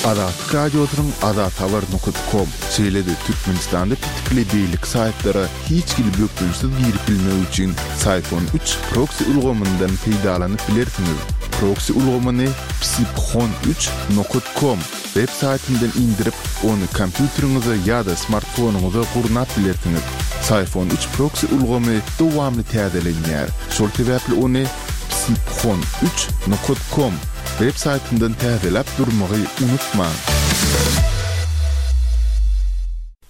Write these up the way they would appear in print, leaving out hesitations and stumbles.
Azatlyk Radiosynyň azathabar nokat kom, şeýle-de Türkmenistanda petikli beýleki saýtlara hiç hili bökdençsiz girip bilmek üçin Syfon üç proksi ulgamyndan peýdalanyp bilersiňiz. Proksi ulgamyny psiphon üç nokat kom web saýtyndan indirip, ony kompýuteriňize ýa-da smartfonyňyza gurnap bilersiňiz. Syfon üç proksi ulgamy dowamly täzelenýär, şol sebäpli ony psiphon üç nokat kom web saýtyndan täzeläp durmagy unutmaň!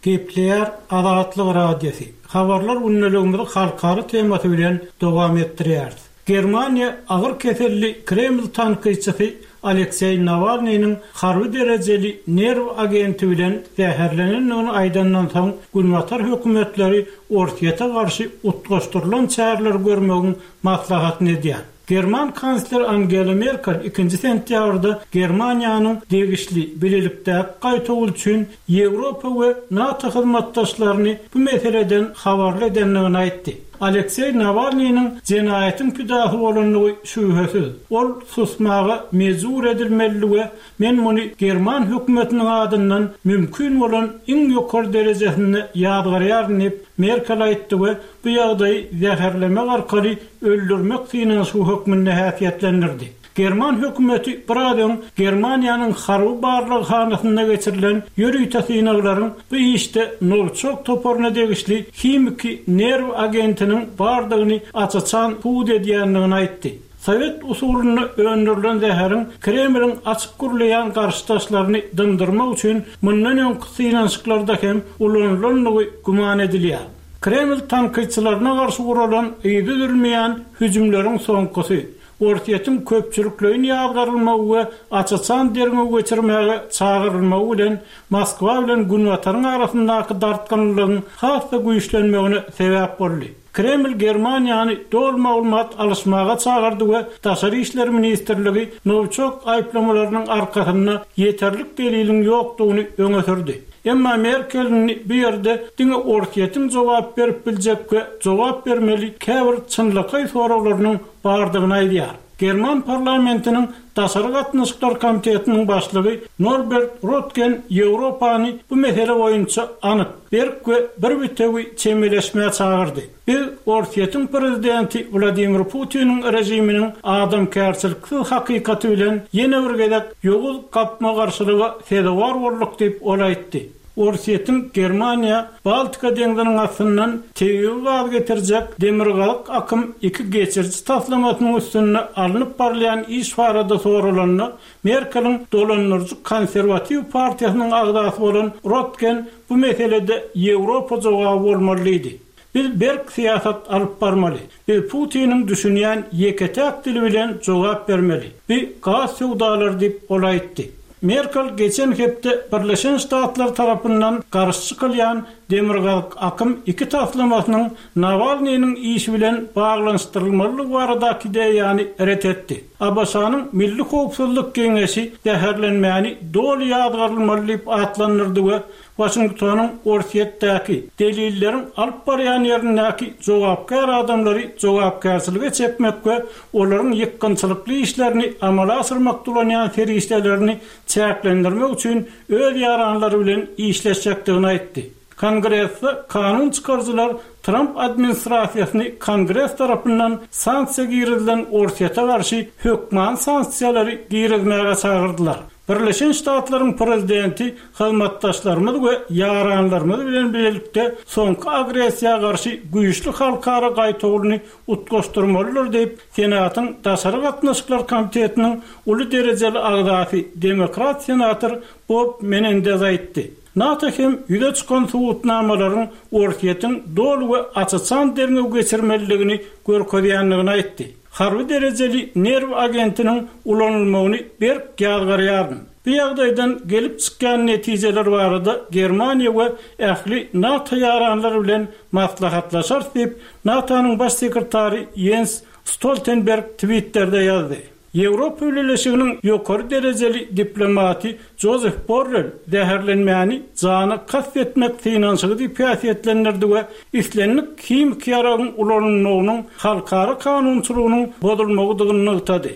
Gepleýär Azatlyk Radiosy, Habarlar gündeligimizi halkara temasy bilen dowam etdirýäris. Germaniýa agyr keselli Kreml tankytçysy Alekseý Nawalnynyň harby derejeli nerw agenti bilen zäherlenendigini aýdandan soň, günbatar hökümetleri Orsýete garşy utgaşdyrylan çäreleri görmegiň maslahatyny edýär. German kansleri Angela Merkel ikinji sentýabrda Germaniýanyň degişli bilelikdäki gaýtawul üçin Ýewropa we NATO hyzmatdaşlaryny bu meseleden habarly edendigini aýtdy. Alekseý Nawalnynyň jenaýatyň pidasy bolandygy şübhesiz. Ol susmaga mejbur edilmelidi we men muny german hökümetiniň adyndan mümkin bolan iň ýokary derejesinde ýazgarýaryn diýip, Merkel aýtdy we bu ýagdaýy zäherlemek arkaly öldürmek synanyşygy hökmünde häsiýetlendirdi. German hökümeti biraz öň Germaniýanyň harby barlaghanasynda geçirilen ýörite synaglaryň bu işde Nowiçok toparyna degişli himiki nerw agentiniň bardygyny aç-açan subut edýändigini aýtdy. Sowet usulynda öndürilen zäheriň Kremliň açyk gürleýän garşydaşlaryny dymdyrmak üçin mundan öňki synanyşyklarda hem ulanylandygy güman edilýär. Kreml tankytçylaryna garşy guralan yzy üzülmeýän hüjümleriň soňkusy, Orsýetiň köpçülikleýin ýazgarylmagy we aç-açan derňew geçirmäge çagyrylmagy bilen Moskwa bilen Günbataryň arasyndaky dartgynlylygyň has-da güýçlenmegine sebäp boldy. Kreml Germaniýany doly maglumat alyşmaga çagyrdy we Daşary işler ministrligi Nowiçok aýyplamalarynyň arkasynda ýeterlik deliliň ýokdugyny öňe sürdi. Emma Merkel indi bu ýerde diňe Orsýetiň jogap berip biljek we jogap bermeli käbir çynlakaý soraglarynyň bardygyny aýdýar. German parlamentiniň Daşary gatnaşyklar komitetiniň başlygy Norbert Röttgen Ýewropany bu mesele boýunça anyk, berk we bir bitewi çemeleşmä çagyrdy. Biz Orsýetiň prezidenti Wladimir Putiniň režiminiň adamkärçiliksiz hakykaty bilen ýene bir gezek ýowuz gapma-garşylyga sezewar bolduk diýip, ol aýtdy. Orsýetiň Germaniýa Baltika deňziniň astyndan tebigy gaz getirjek Demirgazyk akym iki geçiriji taslamasynyň üstünde alnyp barylýan iş barada soralanda, Merkeliň dolandyryjy konserwatiw partiýasynyň agzasy bolan Rotgen bu meselede Ýewropa jogaby bolmaly diýdi. Biz berk syýasat alyp barmaly. Biz Putiniň düşünýän ýeke-täk dili bilen jogap bermeli. Bu gaz söwdalary diýip, ol aýtdy. Merkel geçen hepde Birleşen Ştatlar tarapyndan garşy çykylýan Demirgazyk akym iki taslamasynyň Nawalnynyň işi bilen baglanyşdyrylmalydygy baradaky ideýany ret etdi. ABŞ-nyň Milli howpsuzlyk geňeşi zäherlenmäni doly ýazgarylmaly diýip atlandyrdy we Waşingtonyň Orsýetdäki, delilleriň alyp barýan ýerindäki jogapkär adamlary jogapkärçilige çekmek we olaryň ýykgynçylykly işlerini amala aşyrmakda ulanýan serişdelerini çäklendirmek üçin öz ýaranlary bilen işleşjekdigini aýtdy. Kongresde kanun çykaryjylar Tramp administrasiýasyny Kongres tarapyndan sanksiýa girizilen Orsýete garşy hökmany sanksiýalary girizmäge çagyrdylar. Birleşen Ştatlaryň Prezidenti hyzmatdaşlarymyz we ýaranlarymyz bilen bilelikde soňky agressiýa garşy güýçli halkara gaýtawulyny utgaşdyrmalydyr diýip, Senatyň Daşary gatnaşyklar komitetiniň uly derejeli agzasy, demokrat senator Bob Menendez aýtdy. NATO hem ýüze çykan subutnamalaryň Orsýetiň doly we aç-açan derňew geçirmelidigini görkezýändigini aýtdy. Harby derejeli nerw agentiniň ulanylmagyny berk ýazgarýaryn. Bu ýagdaýdan gelip çykýan netijeler barada Germaniýa we ähli NATO ýaranlary bilen maslahatlaşarys diýip, NATO-nyň Baş sekretary Ýens Stoltenberg Twitterde ýazdy. Ýewropa Bileleşiginiň ýokary derejeli diplomaty Jozef Borrel zäherlenmäni jana kast etmek synanyşygy diýip häsiýetlendirdi we islendik himiki ýaragyň ulanylmagynyň halkara kanunçylygynyň bozulmagydygyny nygtady.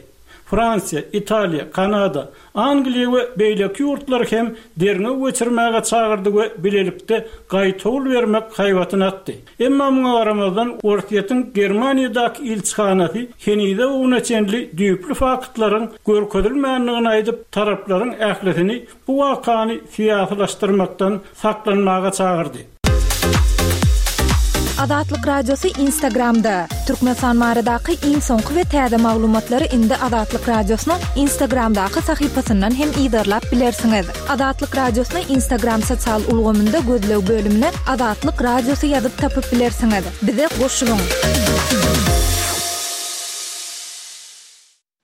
Fransiýa, Italiýa, Kanada, Angliýa we beýleki ýurtlary hem derňew geçirmäge çagyrdy we bilelikde gaýtawul bermek haýbatyny atdy. Emma muňa garamazdan, Orsýetiň Germaniýadaky ilçihanasy henize-bu güne çenli düýpli faktlaryň görkezilmändigini aýdyp, taraplaryň ählisini bu wakany syýasylaşdyrmakdan saklanmaga çagyrdy. Azatlyk Radiosy Instagramda, Türkmenistan baradaky iň soňky we täze maglumatlary indi Azatlyk Radiosynyň Instagramdaky sahypasyndan hem yzarlap bilersiňiz. Azatlyk Radiosyny Instagram sosial ulgamynda gözleg bölümine Azatlyk Radiosy ýazyp tapyp bilersiňiz. Bize goşulyň!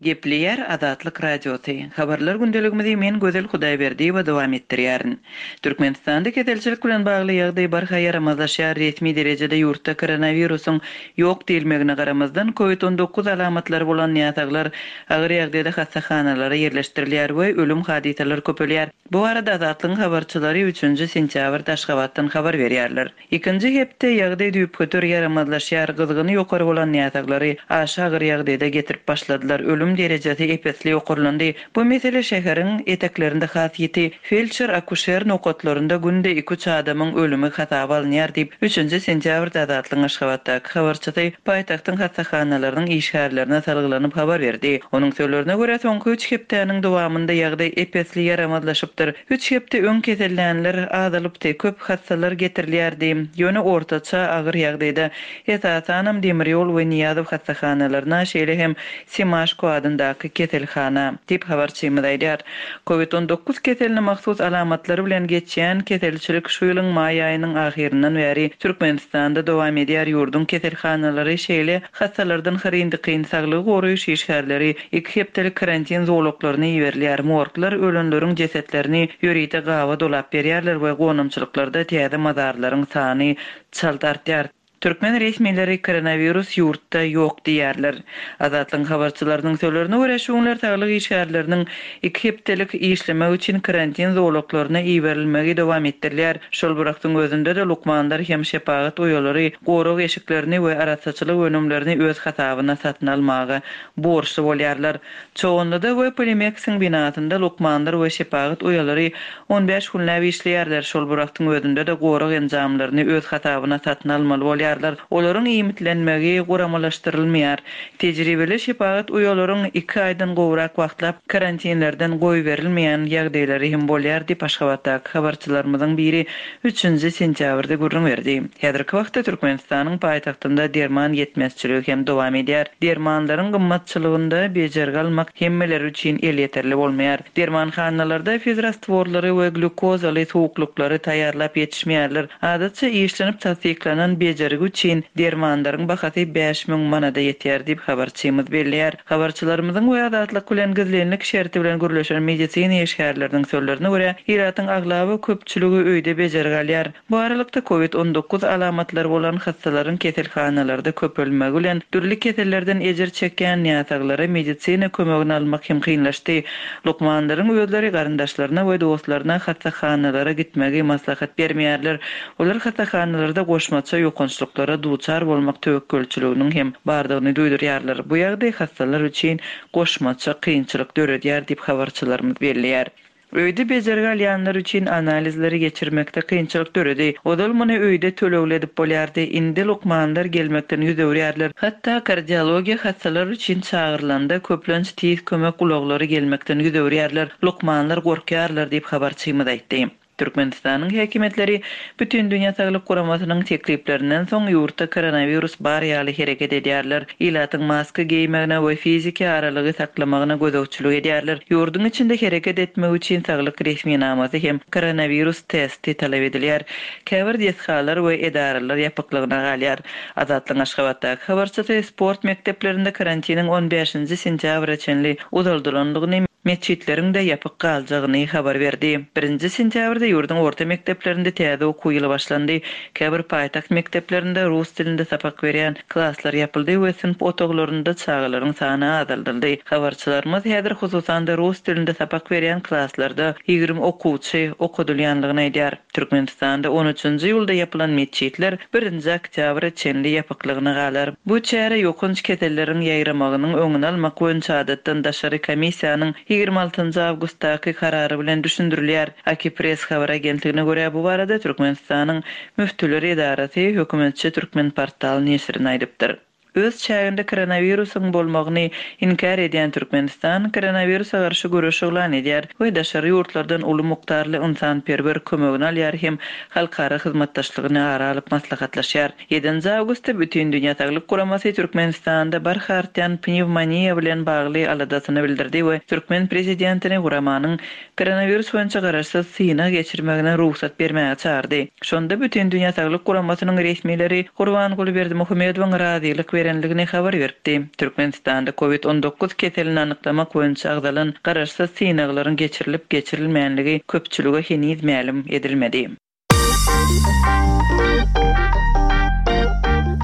Gepleýär Azatlyk Radiosy. Habarlar gündeligimizi men Gözel Hudaýberdiýewa dowam etdirýärin. Türkmenistanda keselçilik bilen bagly ýagdaý barha ýaramazlaşýar, resmi derejede ýurtda koronawirusyň ýok diýilmegine garamazdan, covid 19 alamatlary bolan näsaglar agyr ýagdaýda hassahanalara ýerleşdirilýär we ölüm hadysalary köpelýär. Bu barada Azatlygyň habarçylary üçünji sentýabrda Aşgabatdan habar berýärler. Ikinji hepde ýagdaý düýpgöter ýaramazlaşýar, gyzgyny ýokary bolan näsaglary aşa agyr ýagdaýda getirip başladylar, ölüm derejesi ep-esli ýokarlandy. Bu mesele şäheriň eteklerinde has ýiti. Feldşer-akuşer nokatlarynda günde iki-üç adamyň ölümi hasaba alynýar diýip, üçünji sentýabrda Azatlygyň Aşgabatdaky habarçysy paýtagtyň hassahanalarynyň işgärlerine salgylanyp habar berdi. Onuň sözlerine görä, soňky üç hepdäniň dowamynda ýagdaý ep-esli ýaramazlaşypdyr. Üç hepde öň kesellänler azalypdy, köp hassalar getirilýärdi. Ýöne ortaça agyr ýagdaýda, esasanam demir ýol we Nyýazow hassahanalaryna, şeýle hem Semaşko adyndaky keselhana, diýip habarçymyz aýdýar. Covid 19 keseline mahsus alamatlary bilen geçýän keselçilik şu ýylyň maý aýynyň ahyryndan bäri Türkmenistanda dowam edýär, ýurduň keselhanalary şeýle Hassalardan hyryn-dykyn saglygy goraýyş işgärleri iki hepdelik karantin zolaklaryna iberilýär. Morglar ölenleriň jesetlerini ýörite gaba dolap berýärler we gonamçylyklarda täze mazarlaryň sany çalt artýar. Türkmen resmileri koronawirus ýurtda ýok diýýärler. Azatlygyň habarçylarynyň sözlerine görä, şu günler saglyk işgärleriniň iki hepdelik işlemek üçin karantin zolaklaryna iberilmegi dowam etdirilýär. Şol bir wagtyň özünde-de lukmanlar hem şepagat uýalary gorag eşiklerini we arassaçylyk önümlerini öz hasabyna satyn almaga borçly bolýarlar. Çoganlyda we Polimeksiň binasynda lukmanlar we şepagat uýalary 15 günläp işleýärler, şol bir wagtyň özünde-de gorag enjamlaryny öz hasabyna satyn almaly bolýarlar. Olaryň iýmitlenmegi guramalaşdyrylmaýar. Tejribeli şepagat uýalaryň iki aýdan gowrak wagtlap karantinlerden goýberilmeýän ýagdaýlary hem bolýar diýip, Aşgabatdaky habarçylarymyzyň biri üçünji sentýabrda gürrüň berdi. Häzirki wagtda Türkmenistanyň paýtagtynda derman ýetmezçiligi hem dowam edýär. Dermanlaryň gymmatçylygynda bejergi almak hemmeler üçin elýeterli bolmaýar. Dermanhanalarda fizrastworlary we glýukozaly suwuklyklary taýýarlap ýetişmeýärler. Adatça işlenip tassyklanan bejergi üçin dermanlaryň bahasy 5000 manada ýetýär diýip, habarçymyz belleýär. Habarçylarymyzyň we Azatlyk bilen gizlinlik şerti bilen gürleşen medisina işgärleriniň sözlerine görä, ilatyň aglaba köpçüligi öýde bejergi alýar. Bu aralykda, covid 19 alamatlary bolan hassalaryň keselhanalarda köpelmegi bilen, dürli kesellerden ejir çekýän näsaglara medisina kömegini almak hem kynlaşdy. Lukmanlaryň özleri garyndaşlaryna we dostlaryna hassahanalara gitmegi maslahat bermeýärler. Olar hassahanalarda goşmaça ýokançlyklara duçar bolmak töwekgelçiliginiň hem bardygyny duýdurýarlar. Bu ýagdaý hassalar üçin goşmaça kynçylyk döredýär diýip, habarçylarymyz belleýär. Öýde bejergi alýanlar üçin analizleri geçirmekde kynçylyk döredi. Ozal muny öýde tölegli edip bolýardy. Indi lukmanlar gelmekden ýüz öwürýärler. Hatda kardiologiýa hassalar üçin çagyrylanda, köplenç tiz kömek ulaglary gelmekden ýüz öwürýärler. Lukmanlar gorkýarlar diýip, habarçymyz aýtdy. Türkmenistanyň häkimiýetleri Bütindünýä Saglyk Guramasynyň tekliplerinden soň ýurtda koronawirus bar ýaly hereket edýärler. Ilatyň maska geýmegine we fiziki aralygy saklamagyna gözegçilik edýärler. Ýurduň içinde hereket etmek üçin saglyk resminamasy hem koronawirus testi talap edilýär. Käbir desgalar we edaralar ýapyklygyna galýar. Azatlygyň Aşgabatdaky habarçysy sport mekdeplerinde karantiniň on bäşinji sentýabra çenli uzaldylandygyny, Metjitleriň-de ýapyk galjagyny habar berdi. Birinji sentýabrda ýurduň orta mekdeplerinde täze okuw ýyly başlandy. Käbir paýtagt mekdeplerinde rus dilinde sapak berýän klaslar ýapyldy we synp otaglarynda çagalaryň sany azaldyldy. Habarçylarymyz häzir hususan-da rus dilinde sapak berýän klaslarda 20 okuwçy okadylýanlygyny aýdýar. Türkmenistanda on üçünji iýulda ýapylan metjitler birinji oktýabra çenli ýapyklygyna galar. Bu çäre ýokanç keselleriň ýaýramagynyň öňüni almak boýunça adatdan daşary komissiýanyň 26 njy awgustdaky karary bilen düşündirilýär. Akipress habar agentligine görä, bu barada Türkmenistanyň Müftüler edarasy hökümetçi Türkmenportal neşirine aýdypdyr. Öz çäginde koronawirusyň bolmagyny inkär edýän Türkmenistan koronawirusa garşy göreş yglan edýär we daşary ýurtlardan uly mukdarly ynsanperwer kömegini alýar hem halkara hyzmatdaşlygyny ara alyp maslahatlaşýar. Ýedinji awgustda Bütindünýä Saglyk Guramasy Türkmenistanda barha artýan pnewmoniýa bilen bagly aladasyny bildirdi we türkmen prezidentini guramanyň Koronawirus boýunça garaşsyz synag geçirmegine rugsat bermäge çagyrdy. Şonda Bütindünýä Saglyk Guramasynyň resmileri Gurbanguly Berdimuhamedowyň razylyk berendigini habar beripdi. Türkmenistanda Covid 19 keselini anyklamak boýunça agzalan garaşsyz synaglaryň geçirilip-geçirilmänligi köpçülige heniz mälim edilmedi.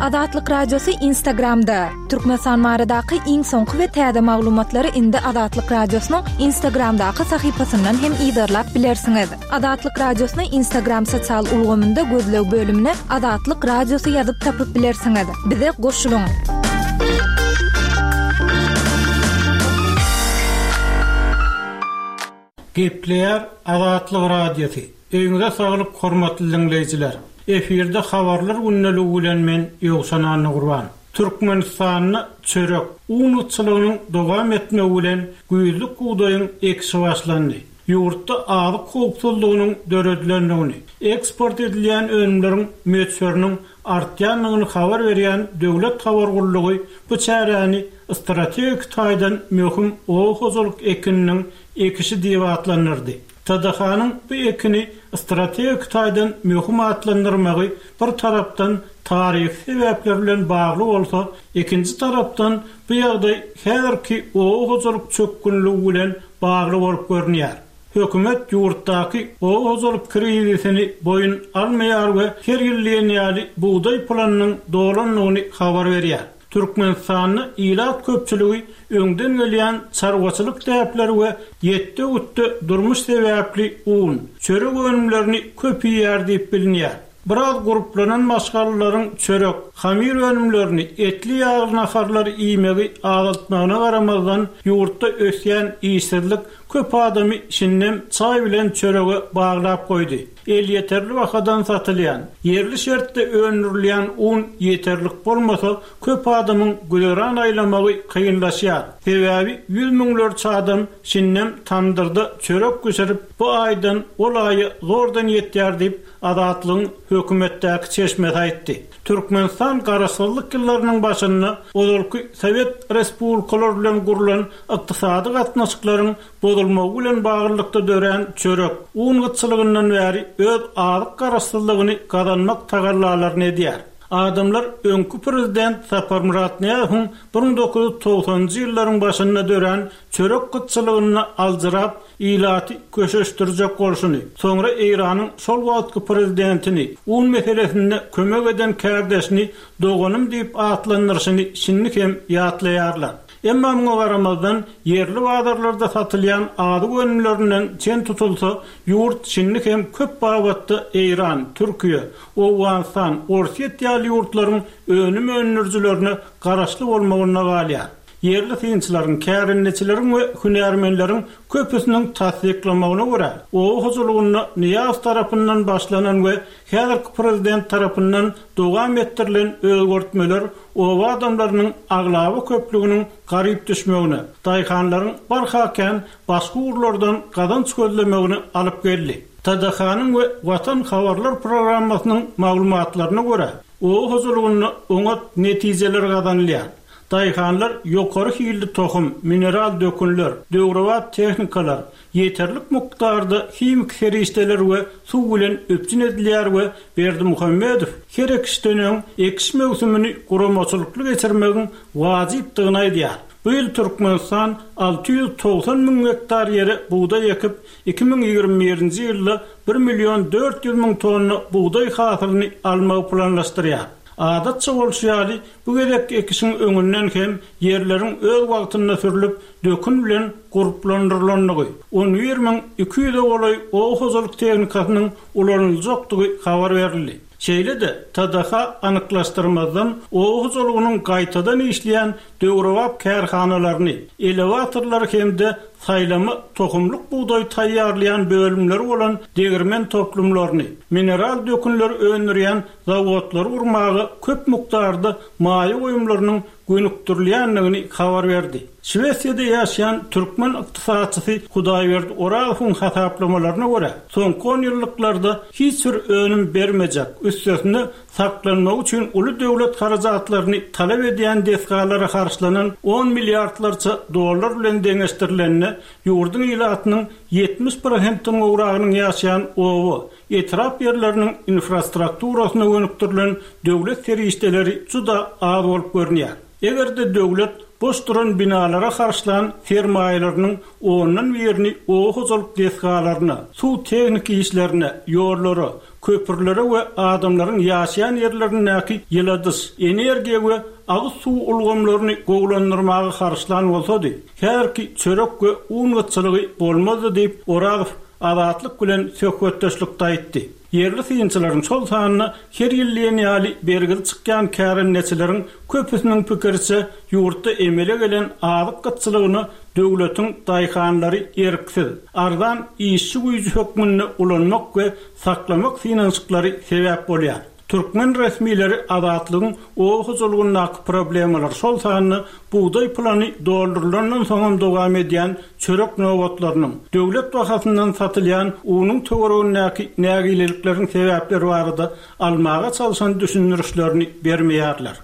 Azatlyk Radiosy Instagramda, Türkmenistan baradaky iň soňky we täze maglumatlary indi Azatlyk Radiosynyň Instagramdaky sahypasyndan hem yzarlap bilersiňiz. Azatlyk Radiosyny Instagram sosial ulgamynda gözleg bölümine Azatlyk Radiosy ýazyp tapyp bilersiňiz. Bize goşulyň! Gepleýär Azatlyk Radiosy. Öýüňize saglyk hormatly diňleýjiler! Efirde Habarlar gündeligi bilen men Ýowşan Annagurban. Türkmenistanda çörek, un gytçylygynyň dowam etmegi bilen güýzlük bugdaýyň ekişi başlandy. Ýurtda azyk howpsuzlygynyň döredilendigini, eksport edilýän önümleriň möçberiniň artýandygyny habar berýän döwlet habar gullugy bu çäräni strategik taýdan möhüm oba hojalyk ekininiň ekişi diýip atlandyrdy. TDH-nyň bu ekini strategik taýdan möhüm atlandyrmagy bir tarapdan taryhy sebäpler bilen bagly bolsa, ikinji tarapdan bu ýagdaý häzirki oba hojalyk çökgünligi bilen bagly bolup görünýär. Hökümet ýurtdaky oba hojalyk krizisini boýun almaýar we her ýyl diýen ýaly bugdaý planynyň dolandygyny habar berýär. Türkmenistanda ilat köpçüligi öňden gelýän çarwaçylyk däpleri we ýetde-gütde durmuş sebäpli un, çörek önümlerini köp iýýär diýip bilinýär. Biraz gurplanan maşgalalaryň çörek, hamyr önümlerini, etli-ýagly naharlary iýmegi azaltmagyna garamazdan, ýurtda ösýän işsizlik köp adamy şindem çaý bilen çörege baglap goýdy. Elýeterli bahadan satylýan, ýerli şertde öndürilýän un ýeterlik bolmasa, köp adamyň güzeran aýlamagy kynlaşýar. Sebäbi ýüz müňlerçe adam şindem tamdyrda çörek bişirip, bu aýdan ol aýa zordan ýetýär diýip, Azatlygyň hökümetdäki çeşmesi aýtdy. Türkmenistan garaşsyzlyk ýyllarynyň başynda ozalky sowet respublikalary bilen gurlan ykdysady gatnaşyklaryň bozulmagy bilen baglylykda dörän çörek, un gytçylygyndan bäri öz azyk garaşsyzlygyny gazanmak tagallalaryny edýär. Adamlar öňki prezident Saparmyrat Nyýazowyň 1990-njy ýyllaryň başynda dörän çörek gytçylygynda aljyrap, ilaty köşeşdirjek bolşuny, soňra Eýranyň şol wagtky prezidentini, un meselesinde kömek eden kärdeşini doganym diýip atlandyryşyny şindi hem ýatlaýarlar. Emma muňa garamazdan, ýerli bazarlarda satylýan azyk önümlerinden çen tutulsa, ýurt şindi hem köp babatda Eýran, Türkiýe, Owganystan, Orsýet ýaly ýurtlaryň önüm öndürijilerine garaşly bolmagynda galýar. Ýerli synçylaryň, kärendeçileriň we hünärmenleriň köpüsiniň tassyklamagyna görä, oba hojalygynda Nyýazow tarapyndan başlanan we häzirki prezident tarapyndan dowam etdirilen özgertmeler oba adamlarynyň aglaba köplüginiň garyp düşmegine, daýhanlaryň barha kän başga ugurlardan gazanç gözlemegine alyp geldi. TDH-nyň we Watan habarlar programmasynyň maglumatlaryna görä, oba hojalygynda oňat netijeler gazanylýar. Daýhanlar ýokary hilli tohum, mineral dökünler, döwrebap tehnikalar, ýeterlik mukdarda himiki serişdeler we suw bilen üpjün edilýär we Berdimuhamedow her ekişden öň ekiş möwsümini guramaçylykly geçirmegiň wajypdygyny aýdýar. Bu ýyl Türkmenistan 690 müň gektar ýere bugdaý ekip, 2021-nji ýylda bir million 400 müň tonna bugdaý hasylyny almagy planlaşdyrýar. Adatça bolşy ýaly, bu gezekki ekişiň öňünden hem ýerleriň öz wagtynda sürlüp, dökün bilen gurplandyrylandygy, on bir 200-e golaý oba hojalyk tehnikasynyň ulanyljakdygy habar berildi. Şeýle-de, TDH anyklaşdyrmazdan oba hojalygynyň gaýtadan işleýän döwrebap kärhanalaryny, elewatorlary hem-de saýlama tohumlyk bugdaý taýýarlaýan bölümleri bolan degirmen toplumlaryny, mineral dökünleri öndürýän zawodlary gurmaga köp mukdarda maýa goýumlarynyň gönükdirilýändigini habar berdi. Şwesiýada ýaşaýan türkmen ykdysatçysy Hudaýberdi Orazowyň hasaplamalaryna görä, soňky onýyllyklarda hiç bir önüm bermejek, üstesine saklanmagy üçin uly döwlet harajatlaryny talap edýän desgalara harçlanan on milliardlarça dollar bilen deňeşdirilende, ýurduň ilatynyň 70 prosentden gowragynyň ýaşaýan oba, etrap ýerleriniň infrastrukturasyna gönükdirilen döwlet serişdeleri juda az bolup görünýär. Eger-de döwlet boş duran binalara harçlan sermaýalarynyň ondan birini oba hojalyk desgalaryna, suw-tehniki işlerine, ýollara, köprülere we adamlaryň ýaşaýan ýerlerindäki ýyladyş, energiýa we agyz suwy ulgamlaryny gowulandyrmaga harçlan bolsady, häzirki çörek we un gytçylygy bolmazdy diýip, Orazow Azatlyk bilen söhbetdeşlikde aýtdy. Ýerli synçylaryň, şol sanda her ýyl diýen ýaly bergili çykýan kärendeçileriň köpüsiniň pikiriçe, ýurtda emele gelen azyk gytçylygyna döwletiň daýhanlary erksiz, arzan işçi güýji hökmünde ulanmak we saklamak synanyşyklary sebäp bolýar. Türkmen resmileri Azatlygyň oba hojalygyndaky problemalar, şol sanda bugdaý plany doldurylandan soňam dowam edýän çörek nobatlarynyň, döwlet bahasyndan satylýan unuň töweregindäki nägilelikleriň sebäpleri barada almaga çalşan düşündirişlerini bermeýärler.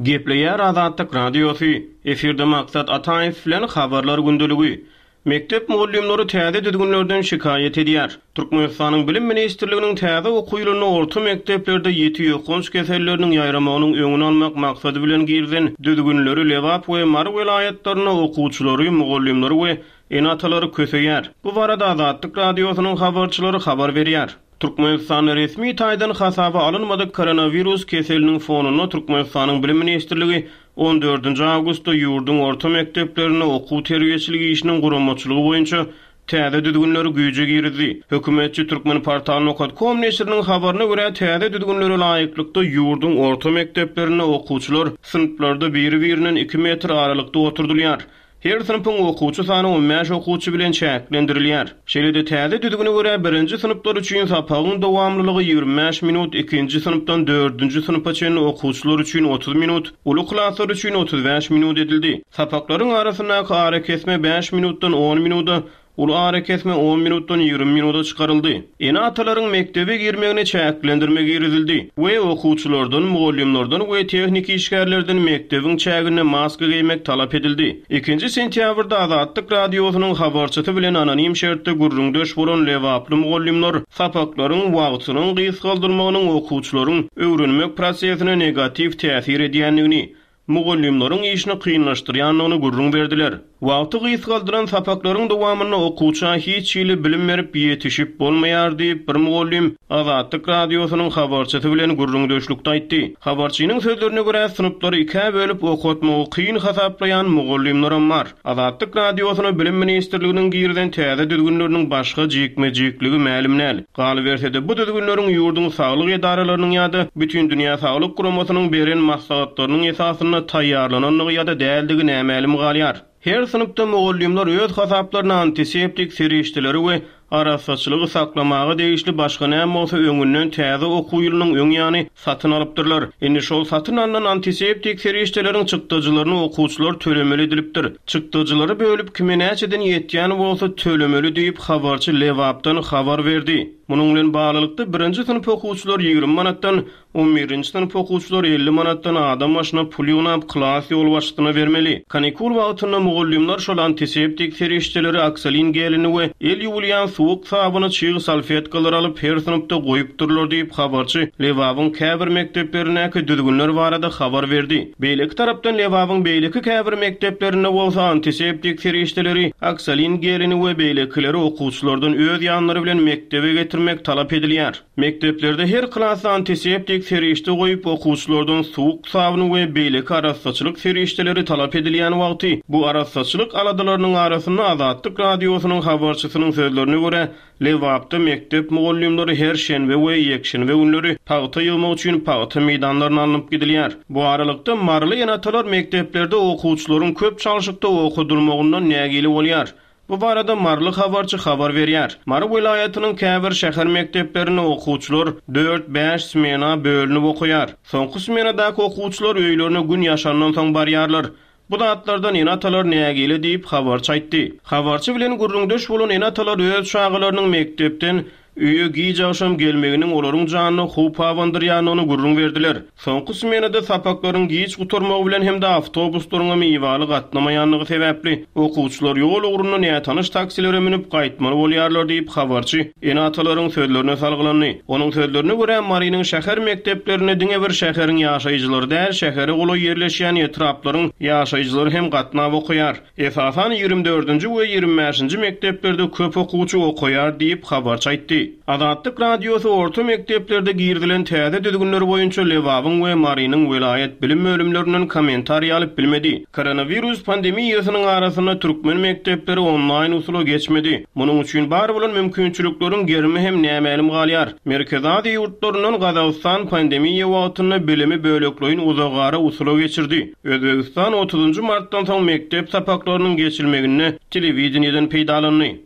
Gepleýär Azatlyk Radiosy, Efirde Maksat Ataýew bilen Habarlar gündeligi. Mekdep mugallymlary täze düzgünlerden şikaýat edýär. Türkmenistanyň Bilim ministrliginiň täze okuw ýylynda orta mekdeplerde ýiti ýokanç keselleriniň ýaýramagynyň öňüni almak maksady bilen girizen düzgünleri Lebap we Mary welaýatlarynda okuwçylary, mugallymlary we ene-atalary köseýär. Bu barada Azatlyk Radiosynyň habarçylary habar berýär. Türkmenistanda resmi taýdan hasaba alynmadyk koronawirus keseliniň fonunda Türkmenistanyň Bilim ministrligi on dördünji awgustda ýurduň orta mekdeplerinde okuw-terbiýeçilik işiniň guramaçylygy boýunça täze düzgünleri güýje girizdi. Hökümetçi Turkmenportal nokat kom neşiriniň habaryna görä, täze düzgünlere laýyklykda ýurduň orta mekdeplerinde okuwçylar synplarda biri-birinden iki metr aralykda oturdylýar. Her synpyň okuwçy sany on bäş okuwçy bilen çäklendirilýär. Şeýle-de täze düzgüne görä, birinji synplar üçin sapagyň dowamlylygy 25 minut, ikinji synpdan dördünji synpa çenli okuwçylar üçin 30 minut, uly klaslar üçin 35 minut edildi. Sapaklaryň arasyndaky arakesme bäş minutdan on minuda, Uly arakesme on minutdan 20 minuda çykaryldy. Ene-atalaryň mekdebe girmegine çäklendirme girizildi we okuwçylardan, mugallymlardan we tehniki işgärlerden mekdebiň çäginde maska geýmek talap edildi. Ikinji sentýabrda Azatlyk Radiosynyň habarçysy bilen anonim şertde gürrüňdeş bolan lebaply mugallymlar sapaklaryň wagtynyň gysgaldylmagynyň okuwçylaryň öwrenmek prosesine negatiw täsir edýändigini, mugallymlaryň işini kynlaşdyrýandygyny gürrüň berdiler. Wagty gysgaldylan sapaklaryň dowamynda okuwça hiç hili bilim berip ýetişip bolmaýar diýip, bir mugallym Azatlyk Radiosynyň habarçysy bilen gürrüňdeşlikde aýtdy. Habarçynyň sözlerine görä, synplary ikä bölüp okatmagy kyn hasaplaýan mugallymlaram bar. Azatlyk Radiosyna Bilim ministrliginiň girizen täze düzgünleriniň başga jikme-jikligi mälim däl. Galyberse-de, bu düzgünleriň ýurduň saglyk edaralarynyň ýa-da Bütindünýä saglyk guramasynyň beren maslahatlarynyň esasynda taýýarlanandygy ýa-da däldigi nämälim galýar. Her synpda mugallymlar öz hasaplaryna antiseptik serişdeleri we Arassaçylygy saklamaga degişli başga näme bolsa öňünden täze okuw ýylynyň öň ýany satyn alypdyrlar. Indi şol satyn alnan antiseptik serişdeleriň çykdajylaryny okuwçylar tölemeli edilipdir. Çykdajylary bölüp kime näçeden ýetýän bolsa tölemeli diýip habarçy Lebapdan habar berdi. Munuň bilen baglylykda, birinji synp okuwçylary 20 manatdan, On birinji synp okuwçylary 50 manatdan adam başyna pul ýygnap, klas ýolbaşçysyna bermeli. Kanikul wagtynda mugallymlar şol antiseptik serişdeleri, oksolin gelini we el ýuwulýan suwuk sabyny, çyg salfetkalary alyp, her synpda goýupdyrlar diýip, habarçy Lebabyň käbir mekdeplerindäki düzgünler barada habar berdi. Beýleki tarapdan, Lebabyň beýleki käbir mekdeplerinde bolsa antiseptik serişdeleri, oksolin gelini we beýlekileri okuwçylardan öz ýanlary bilen mekdebe getirmek talap edilýär. Mekdeplerde her klasda antiseptik serişde goýup, okuwçylardan suwuk sabyn we beýleki arassaçylyk serişdeleri talap edilýän wagty, bu arassaçylyk aladalarynyň arasynda Azatlyk Radiosynyň habarçysynyň sözlerine görä, Lebapda mekdep mugallymlary her şenbe we ýekşenbe günleri pagta ýygmak üçin pagta meýdanlaryna alnyp gidilýär. Bu aralykda, maryly ene-atalar mekdeplerde okuwçylaryň köp çalşykda okadylmagyndan nägile bolýar. Bu barada maryly habarçy habar berýär. Mary welaýatynyň käbir şäher mekdeplerinde okuwçylar dört-bäş smena bölünip okaýar. Soňky smenadaky okuwçylar öýlerine gün ýaşandan soň barýarlar. Bu zatlardan ene-atalar nägile diýip, habarçy aýtdy. Habarçy bilen gürrüňdeş bolan ene-atalar öz çagalarynyň mekdepden Öýe giç agşam gelmeginiň olaryň janyna howp abandyrýandygyny gürrüň berdiler. Soňky smenada sapaklaryň giç gutarmagy bilen hem-de awtobuslaryňam ibaly gatnamaýandygy sebäpli, okuwçylar ýol ugrunda nätanyş taksilere münüp gaýtmaly bolýarlar diýip, habarçy ene-atalaryň sözlerine salgylandy. Onuň sözlerine görä, Marynyň şäher mekdeplerinde diňe bir şäheriň ýaşaýjylary däl, şähere golaý ýerleşýän etraplaryň ýaşaýjylary hem gatnap okaýar. Esasan 24 dördünji we 25-nji mekdeplerde köp okuwçy okaýar diýip, habarçy aýtdy. Azatlyk Radiosy orta mekdeplerde girizilen täze düzgünler boýunça Lebabyň we Marynyň welaýat bilim bölümlerinden kommentariý alyp bilmedi. Koronawirus pandemiýasynyň arasynda türkmen mekdepleri onlaýn usula geçmedi. Munuň üçin bar bolan mümkinçilikleriň gerimi hem nämälim galýar. Merkezi Aziýa ýurtlaryndan Gazagystan pandemiýa wagtynda bilimi bölekleýin uzagara usula geçirdi. Özbegistan otuzynjy martdan soň mekdep sapaklarynyň geçilmeginde telewideniýeden peýdalandy.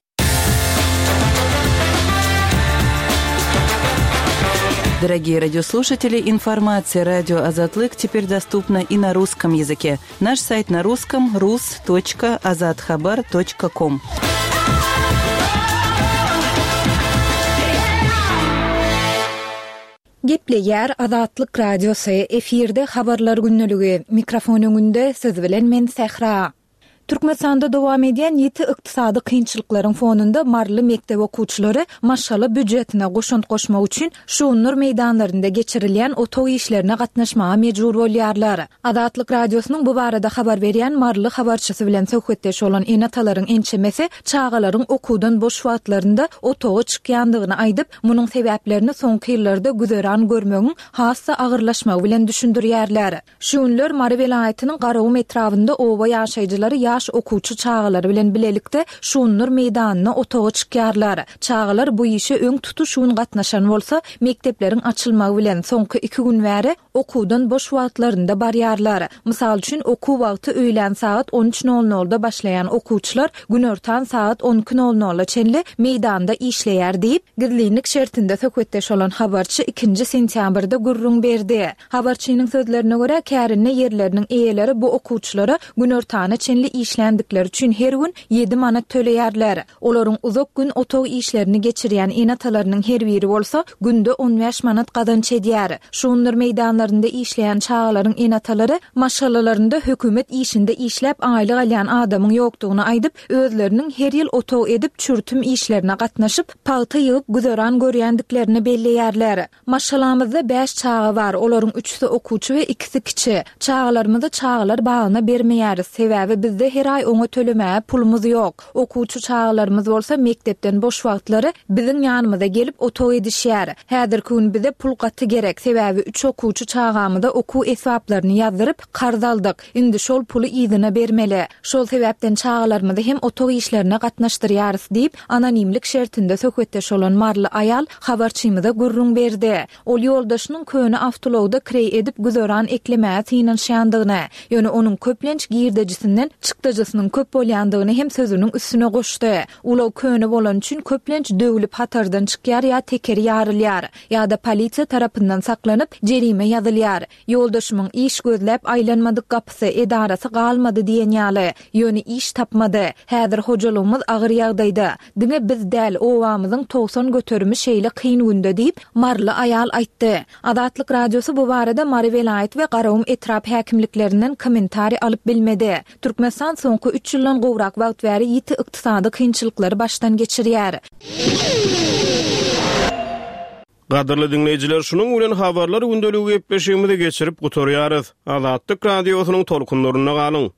Дорогие радиослушатели, информация радио Азатлык теперь доступна и на русском языке. Наш сайт на русском rus.azathabar.com. Gepleýär Azatlyk Radiosy, efirde Habarlar gündeligi, mikrofon öňünde siz bilen men Sähra. Türkmenistanda dowam edýän ýiti ykdysady kynçylyklaryň fonunda maryly mekdep okuwçylary maşgala býujetine goşant goşmak üçin şugundyr meýdanlarynda geçirilýän otag işlerine gatnaşmaga mejbur bolýarlar. Azatlyk Radiosynyň bu barada habar berýän maryly habarçysy bilen söhbetdeş bolan ene-atalaryň ençemesi çagalaryň okuwdan boş wagtlarynda otaga çykýandygyny aýdyp, Munuň sebäplerini soňky ýyllarda güzeran görmegiň has-da agyrlaşmagy bilen düşündirýärler. Şu günler Mary welaýatynyň Garagum etrabynda oba ýaşaýjylary ýaş okuwçy çagalary bilen bilelikde Şundur meýdanyna otaga çykýarlar. Çagalar bu işe öň tutuş gün gatnaşan bolsa, mekdepleriň açylmagy bilen, soňky iki gün bäri okuwdan boş wagtlarynda barýarlar. Mysal üçin, okuw wagty öýlän sagat on üç nol nolda başlaýan okuwçylar günortan sagat on iki nol nola çenli meýdanda işleýär diýip, gizlinlik şertinde söhbetdeş bolan habarçy ikinji sentýabrda gürrüň berdi. Habarçynyň sözlerine görä, kärende ýerleriniň eýeleri bu okuwçylara günortana çenli işländikleri üçin her gün ýedi manat töleýärler. Olaryň uzak gün otag işlerini geçirýän ene-atalarynyň her biri bolsa günde on bäş manat gazanç edýär. Şugundyr meýdanlarynda işleýän çagalaryň ene-atalary maşgalalarynda hökümet işinde işläp aýlyk alýan adamyň ýokdugyny aýdyp, özleriniň her ýyl otag edip çürtüm işlerine gatnaşyp, pagta ýygyp güzeran görýändiklerini belleýärler. Maşgalamyzda bäş çaga bar, olaryň üçüsi okuwçy we ikisi kiçi. Çagalarymyzy çagalar bagyna bermeýäris, sebäbi bizde her aý oňa tölemäge pulumyz ýok. Okuwçy çagalarymyz bolsa mekdepden boş wagtlary biziň ýanymyza gelip otag edişýär. Häzirki gün bize pul gaty gerek, sebäbi üç okuwçy çagamyza okuw esbaplaryny ýazdyryp, karz aldyk. Indi şol puly yzyna bermeli. Şol sebäpden çagalarymyzy hem otag işlerine gatnaşdyrýarys diýip, anonimlik şertinde söhbetdeş bolan maryly aýal habarçymyza gürrüň berdi. Ol ýoldaşynyň köne awtoulagda kireý edip güzeran eklemäge synanyşýandygyny, ýöne onuň köplenç girdejisinden çykdajy. Çykdajysynyň köp bolýandygyny hem sözüniň üstüne goşdy. Ulag köne bolany üçin köplenç döwlüp hatardan çykýar ýa tekeri ýarylýar. Ýa-da polisiýa tarapyndan saklanyp, jerime ýazylýar. Ýoldaşymyň iş gözläp aýlanmadyk gapysy, edarasy galmady diýen ýaly. Ýöne iş tapmady. Häzir hojalygymyz agyr ýagdaýda. Diňe biz däl, obamyzyň 90 göterimi şeýle kyn günde diýip, maryly aýal aýtdy. Azatlyk Radiosy bu barada Mary welaýat we Garagum etrap häkimliklerinden kommentariý alyp bilmedi. Türkmenistan soňky üç ýyldan gowrak wagt bäri ýiti ykdysady kynçylyklary başdan geçirýär. Gadyrly diňleýjiler, şunuň bilen Habarlar gündeligi gepleşigimizi geçirip gutarýarys. Azatlyk Radiosynyň tolkunlarynda galyň!